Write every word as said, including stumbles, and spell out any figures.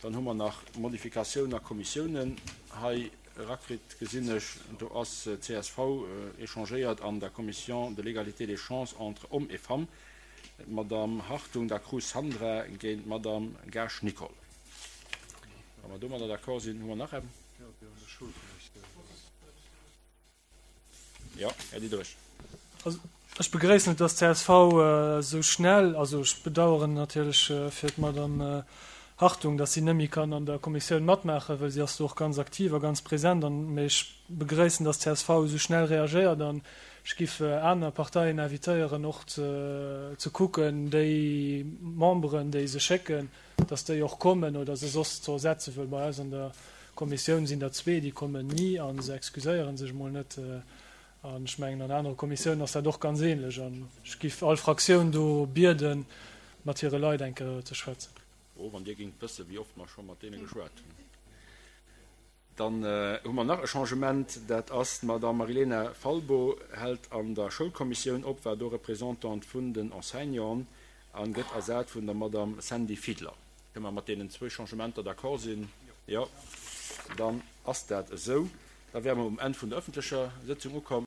Dann hu mer nach Modifikatioun a Kommissiounen hei erakritt, gesinn ech. Do ass csv échangéiert an der Commission de l'égalité des chances entre hommes et femmes, d'Madame Hartung da Cruz Sandra géint d'Madame Gaasch Nicole. Wa mer domadder d'accord sinn, hu mer nach eng. Jo, Här Diderich. Also ech begréissen et, dass csv esou schnell, also ech bedauern natierlech fir d'Madame Hartung, dass si net méi kann an der Kommissioun matmaachen, well si ass do och ganz aktiv a ganz present, an, mee ech begréissen, dass csv esou schnell reagéiert an ech giff aner Parteien invitéieren och ze ze kucken, déi Memberen, déi se schécken, dass déi och kommen oder se soss ze ersetzen, well bei eis an der Kommissioun sinn der zwee, déi kommen ni a se excuséiere sech emol net. An ech mengen, an anere Kommissiounen ass dat och ganz ähnlech. An ech giff all Fraktioun do bieden, mat hire Leit eng Kéier ze schwätzen. Oh, wann Dir géingt wëssen, wéi oft mer scho mat deene geschwat hunn. Dann hu mer nach e Changement, dat ass, d'Madame Marilena Falbo hält an der Schoulkommissioun op, war do Représentante vun den Enseignanten a gëtt ersat vun der Madame Sandy Fiedler. Kënne mer mat deenen zwou Changementer d'accord sinn? Jo, dann ass dat esou. Da wäre mer um Enn vun der öffentlecher Sëtzung ukomm.